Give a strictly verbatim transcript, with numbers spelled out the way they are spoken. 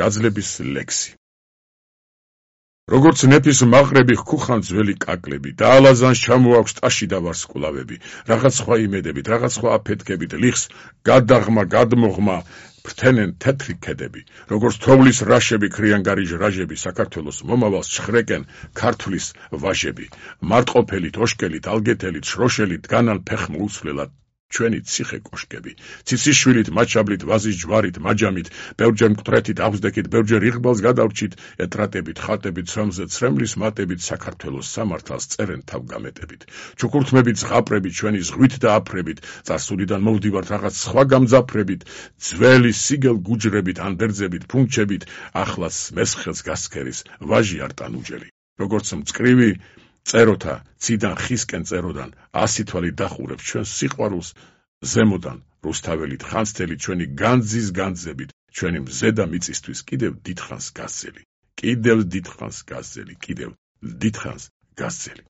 გაძლების ლექსი. როგორც ნეფის მაყრები ხუხან ძველი კაკლები, დაალაზანს ჩამოაქვს ტაში და ვარსკვლავები, რაღაც სხვა იმედებით, რაღაც სხვა აფეთქებით, ლიხს გადაღმა, გადმოღმა, ფრთენენ თეთრი ქედები, როგორც თოვლის რაშები, ქრიანგარიჟ რაჟები, საქართველოს მომავალს ჩხრეკენ ქართლის ვაჟები, მარტყოფელით, ოშკელით, ალგეთელით, შროშელით, განან ფეხმ უცვლელად, ჩვენი ციხე კოშკები, ციციშვილით, მაჩაბლით, ვაზის ჯვარით, მაჯამით, ბევრჯერ მკვდრეთით, აღზდექით, ბევრჯერ იღბალს გადავრჩით, ეტრატებით, ხატებით, ცრემლზე ცრემლის მატებით, საქართველოს სამართალს წერენ თავგამეტებით, ჩუქურთმებით, ზღაპრებით, ჩვენი ზღვით და აფრებით, წარსულიდან მოვდივართ რაღაც სხვა გამძაფრებით, ძველი სიგელ გუჯრებით, ანდერძებით, ფუნჩებით, ახლაც მესხელს გასქერის, ვაჟი არტანუჯელი, როგორც მწკრივი წეროთა ციდან ხისკენ წეროდან ასი თვალი დახურებს ჩვენს სიყვარულს ზემოდან რუსთაველით ხანძთელით ჩვენი განძის განძებით ჩვენი მზედა მიწისთვის კიდევ დიდხანს გასცელი კიდევ დიდხანს გასცელი კიდევ დიდხანს გასცელი